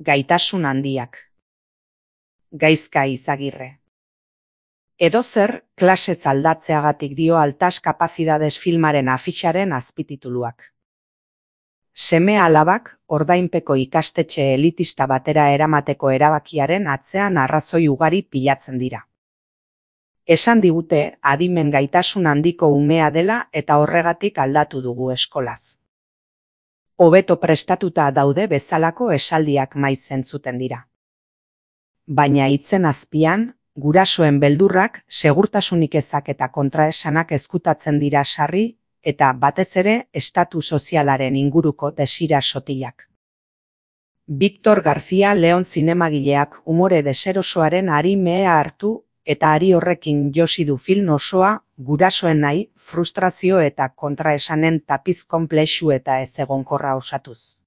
gaitasun handiak. Gaizka Izagirre. Edozer, klasez aldatzeagatik dio Altas Capacidades filmaren afixaren azpitituluak. Seme-alabak ordainpeko ikastetxe elitista batera eramateko erabakiaren atzean arrazoi ugari pilatzen dira. Esan digute adimen gaitasun handiko umea dela eta horregatik aldatu dugu eskolaz. Hobeto prestatuta daude bezalako esaldiak maiz entzuten dira. Baina hitzen azpian, gurasoen beldurrak, segurtasunik ezak eta kontraesanak ezkutatzen dira sarri, eta batez ere estatu sozialaren inguruko desira sotilak. Victor García León zinemagileak umore deserosoaren ari mehea hartu eta ari horrekin josi du film osoa gurasoen nahi, frustrazio eta kontraesanen tapiz konplexu eta ezegonkorra osatuz.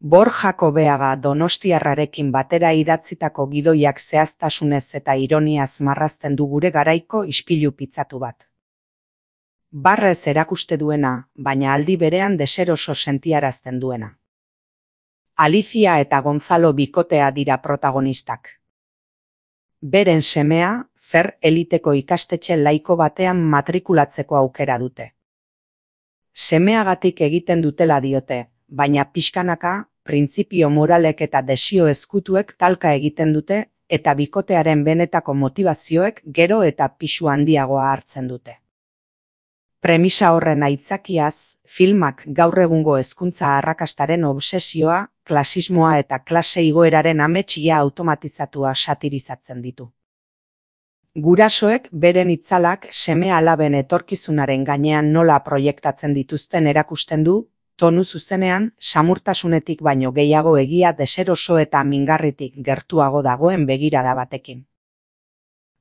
Borja Kobeaga donostiarrarekin batera idatzitako gidoiak zehaztasunez eta ironiaz marrazten du gure garaiko ispilu pitzatu bat. Barrez erakuste duena, baina aldi berean deseroso sentiarazten duena. Alicia eta Gonzalo bikotea dira protagonistak. Beren semea, zer eliteko ikastetxe laiko batean matrikulatzeko aukera dute. Semeagatik egiten dutela diote, baina pixkanaka, printzipio moralek eta desio ezkutuek talka egiten dute eta bikotearen benetako motivazioek gero eta pisu handiagoa hartzen dute. Premisa horren aitzakiaz, filmak gaur egungo hezkuntza arrakastaren obsesioa, klasismoa eta klase igoeraren ametsia automatizatua satirizatzen ditu. Gurasoek beren itzalak seme-alaben etorkizunaren gainean nola proiektatzen dituzten erakusten du, tonu zuzenean, samurtasunetik baino gehiago egia deseroso eta mingarritik gertuago dagoen begirada batekin.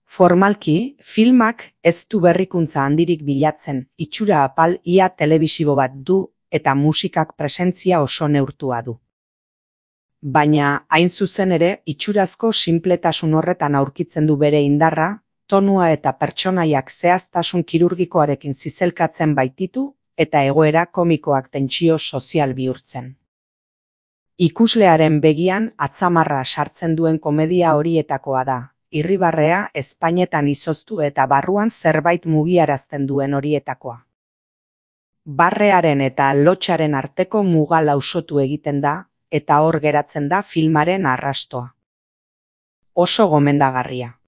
Formalki, filmak ez du berrikuntza handirik bilatzen, itxura apal ia telebisibo bat du eta musikak presentzia oso neurtua du. Baina, hain zuzen ere, itxurazko sinpletasun horretan aurkitzen du bere indarra, tonua eta pertsonaiak zehaztasun kirurgikoarekin zizelkatzen baititu eta egoera komikoak tentsio sozial bihurtzen. Ikuslearen begian atzamarra sartzen duen komedia horietakoa da, irribarrea ezpainetan izoztu eta barruan zerbait mugiarazten duen horietakoa. Barrearen eta lotsaren arteko muga lausotu egiten da, eta hor geratzen da filmaren arrastoa. Oso gomendagarria.